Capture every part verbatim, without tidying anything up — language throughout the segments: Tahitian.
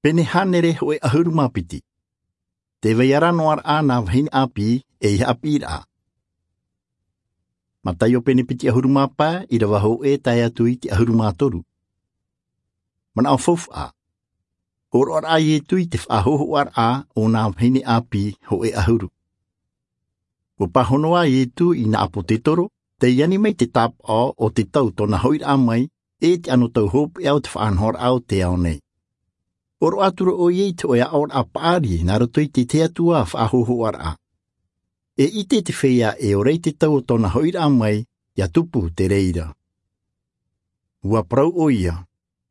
Pene hānere hōʻē ʻahuru mā piti. Te vai ara noa raʻa nā vahine ʻāpī ʻei haʻapiʻiraʻa. Mataio pene piti ʻahuru mā pae, ʻīrava hōʻē tae atu i te ʻahuru mā toru. Manaʻo faufaʻa. Hōroʻa raʻa a Ietu i te faʻahōhoʻaraʻa o nā vahine ʻāpī hōʻē ʻahuru. Ua pāhono a Ietu i nā ʻāpōtetoro, tei ani mai te tāpaʻo o te tau tōna hoʻiraʻa mai, e te anotau hopeʻa o te faʻanahoraʻa o te ao nei. Hōroʻa atu ra ʻoia i te hōʻē aʻoraʻa paʻari nā roto i te tahi atu ā faʻahōhoʻaraʻa. E ʻite te feiā e ora i te tau o tōna hoʻiraʻa mai, ʻia tupu te reira. Ua parau ʻoia,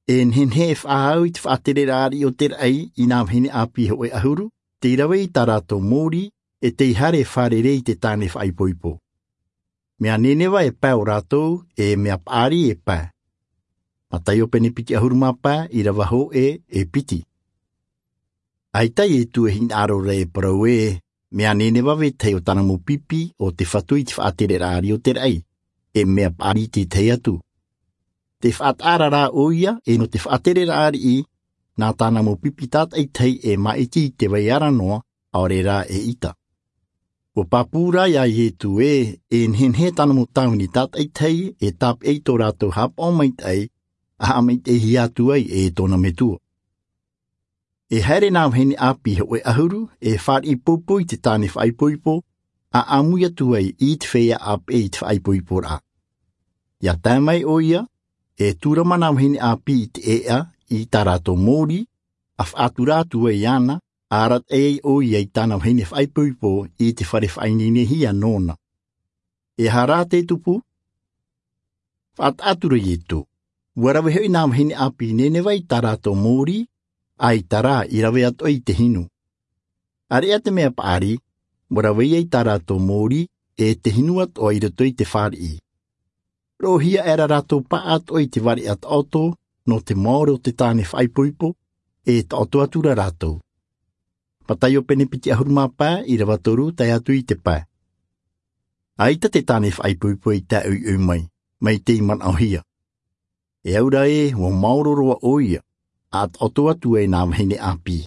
e nehenehe e faʻaau i te faʻatereraʻa ariʻi o te raʻi i nā vahine ʻāpī hōʻē ʻahuru, tei rave i tā rātou mōrī, e tei haere e fārerei i te tāne faʻaipoipo. Mea neneva e pae o rātou, e mea paʻari e pae. Mataio pene piti ʻahuru mā pae, ʻīrava hōʻē e piti. ʻAita Ietu e hinaʻaro ra e parau ē, mea neneva vetahi o tāna mau pipi o te Fatu i te faʻatereraʻa ariʻi o te raʻi, e mea paʻari i te tahi atu. Te faʻataʻa ra ʻoia, e nō te faʻatereraʻa ariʻi, nā tāna mau pipi tātaʻitahi e māʻiti i te vai ara noa, ʻaore rā e ʻita. Ua pāpū rā ia Ietu ē, e nehenehe tāna mau tāvini tātaʻitahi e tāpeʻa i tō rātou haʻapaʻo maitaʻi, ʻa haʻamaitaʻihia atu ai e tōna Metua. E haere nā vahine ʻāpī hōʻē ʻahuru, e fāriʻi poupou i te tāne faʻaipoipo, ʻa ʻāmui atu ai i te feiā ʻāpeʻe i te faʻaipoiporaʻa. ʻIa tae mai ʻoia, e tūrama nā vahine ʻāpī i te ʻēʻa i tā rātou mōrī, ʻa faʻatura atu ai iāna, ʻa arataʻi ai ʻoia i tāna vahine faʻaipoipo i te fare faʻaineinehia nōna. E aha rā te tupu? Faʻataʻa atu ra Ietu. Ua rave hoʻi nā vahine ʻāpī Neneva i tā rātou mōrī, ʻaita rā i rave atoʻa i te hinu. ʻAreʻa te mea paʻari, ua rave ia i tā rātou mōrī, e te hinu atoʻa i roto i te fāriʻi. Roʻohia aʻera rātou paʻatoʻa i te vareʻa taʻoto, nō te maoro o te tāne faʻaipoipo, e taʻoto atu ra rātou. Mataio pene piti ʻahuru mā pae, ʻīrava toru, tae atu i te pae. ʻAita te tāne faʻaipoipo i tae ʻoiʻoi mai, mai tei manaʻohia. E au ra ē, ua maoro roa ʻoia, ʻa taʻoto atu ai nā vahine ʻāpī.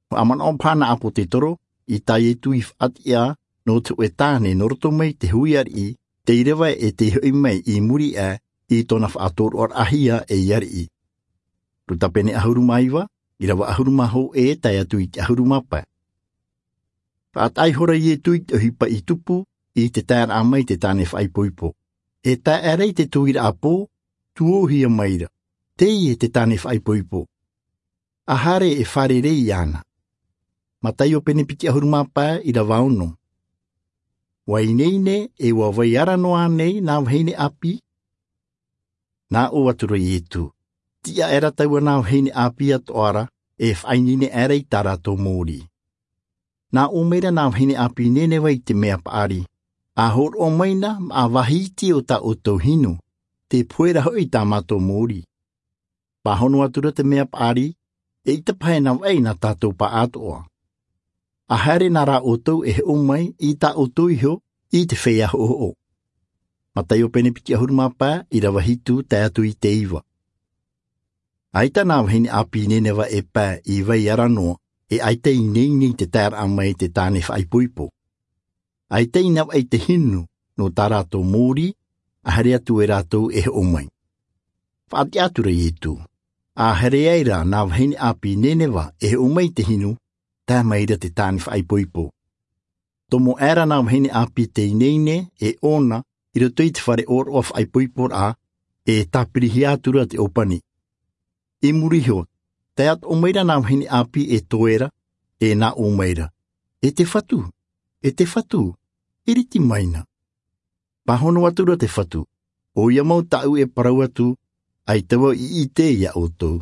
Faʻamanaʻo paha nā ʻāpōtetoro, i tā Ietu i faʻatiʻa, nō te hōʻē tāne nō roto mai te hui ariʻi, tei rave e tei hoʻi mai i muri aʻe, i tōna faʻatōroʻaraʻahia ei ariʻi. Luka pene ʻahuru mā iva, ʻīrava ʻahuru mā hōʻē tae atu i te ʻahuru mā pae. Faʻataʻa ihora Ietu i te ʻohipa i tupu, i te taeraʻa mai te tāne faʻaipoipo. E tae aʻera i te tuiraʻa pō, tuōhia mai ra. Teie te tāne faʻaipoipo. ʻA haere e fārerei iāna. Mataio pene piti ʻahuru mā pae, ʻīrava ono. Ua ineine, e ua vai ara noa nei nā vahine ʻāpī? Nā ʻō atu ra Ietu. Tiʻa aʻera taua nā vahine ʻāpī atoʻa ra, e faʻaineine aʻera i tā rātou mōrī. Nā ʻō mai ra nā vahine ʻāpī Neneva i te mea paʻari. ʻA hōroʻa mai na, maʻa vāhi iti o tā ʻoutou hinu, te pohe ra hoʻi tā mātou mōrī. Pāhono atu ra te mea paʻari, eʻita paha e navaʻi nā tātou paʻatoʻa. ʻA haere na rā ʻoutou e hoʻo mai i tā ʻoutou iho i te feiā hoʻohoʻo. Mataio pene piti ʻahuru mā pae, ʻīrava hitu tae atu i te iva. ʻAita nā vahine ʻāpī Neneva e pae i vai ara noa, e ʻaita i ineine i te taeraʻa mai te tāne faʻaipoipo. ʻAita i navaʻi te hinu nō tā rātou mōrī, ʻa haere atu e rātou e hoʻo mai. Faʻatiʻa atu ra Ietu. ʻA haere aʻera nā vahine ʻāpī Neneva e hoʻo mai te hinu, tae mai ra te tāne faʻaipoipo. Tomo aʻera nā vahine ʻāpī te ineine e ʻōna i roto i te fare ʻōroʻa faʻaipoiporaʻa, e tāpirihia atu ra te ʻōpani. I muri iho, tae atoʻa mai ra nā vahine ʻāpī e toe ra, e nā ʻō mai ra. E te Fatu, e te Fatu, iriti mai na. Pāhono atu ra te Fatu, ʻoia mau tāʻu e parau atu, ʻaita vau i ʻite ia ʻoutou.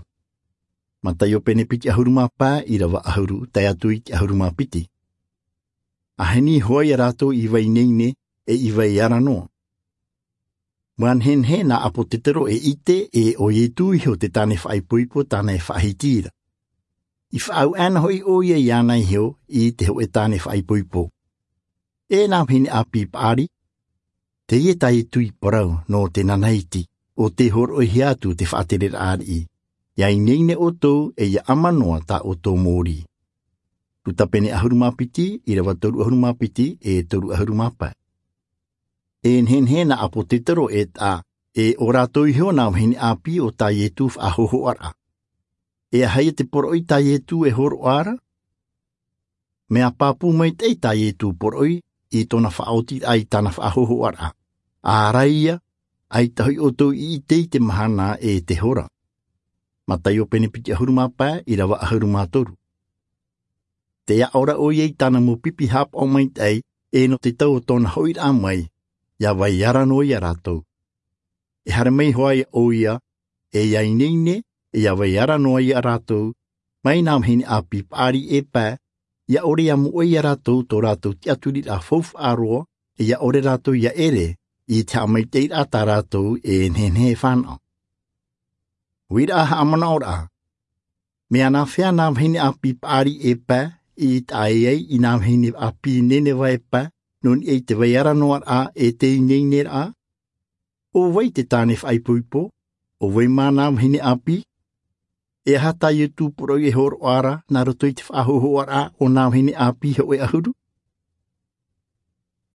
Mataio pene piti ʻahuru mā pae, ʻīrava ʻahuru, tae atu i te ʻahuru mā piti. ʻA heni hoʻi ia rātou i vai ineine, e i vai ara noa. Ua nehenehe nā ʻāpōtetoro e ʻite, e ʻo Ietu iho te tāne faʻaipoipo tāna e faʻahiti ra. I faʻaau aʻena hoʻi ʻoia iāna iho i te hōʻē tāne faʻaipoipo. E nā vahine ʻāpī paʻari, teie tā Ietu i parau nō te nanaiti, ʻo tē hōroʻahia atu te faʻatereraʻa ariʻi. ia ineine ʻoutou e ia ʻama noa tā ʻoutou mōrī. Luka pene ʻahuru mā piti, ʻīrava toru ʻahuru mā piti e toru ʻahuru mā pae. E nehenehe nā ʻāpōsetolo e taʻa, e ʻo rātou iho nā vahine ʻāpī o tā Iesu faʻahōhoʻaraʻa. E aha ia te poroʻi tā Iesu e hōroʻa ra? Mea pāpū maitaʻi tā Iesu poroʻi i tōna faʻaotiraʻa i tāna faʻahōhoʻaraʻa. ʻĀrai ia, ʻaita hoʻi ʻoutou i ʻite i te mahana e te hora. Mataio pene piti ʻahuru mā pae, ʻīrava ʻahuru mā toru. Tē aʻo ra ʻoia i tāna mau pipi haʻapaʻo maitaʻi, e nō te tau o tōna hoʻiraʻa mai, ia vai ara noa ia rātou. E haere mai hoʻi ʻoia, e ia ineine, e ia vai ara noa ia rātou, mai nā vahine ʻāpī paʻari e pae, ia ʻore ia moʻe ia rātou tō rātou tiʻaturiraʻa faufaʻa roa, e ia ʻore rātou ia ʻere i te haʻamaitaʻiraʻa tā rātou e nehenehe e fānaʻo. Uiraʻa haʻamanaʻoraʻa. Mea nāfea nā vahine ʻāpī paʻari e pae i taʻa ʻē ai i nā vahine ʻāpī Nineva e pae, nō niʻa i te vai ara noa raʻa e te ineineraʻa? ʻO vai te tāne faʻaipoipo? ʻO vai mā nā vahine ʻāpī? E aha tā Iesu poroʻi e hōroʻa ra nā roto i te faʻahōhoʻaraʻa o nā vahine ʻāpī hōʻē ʻahuru?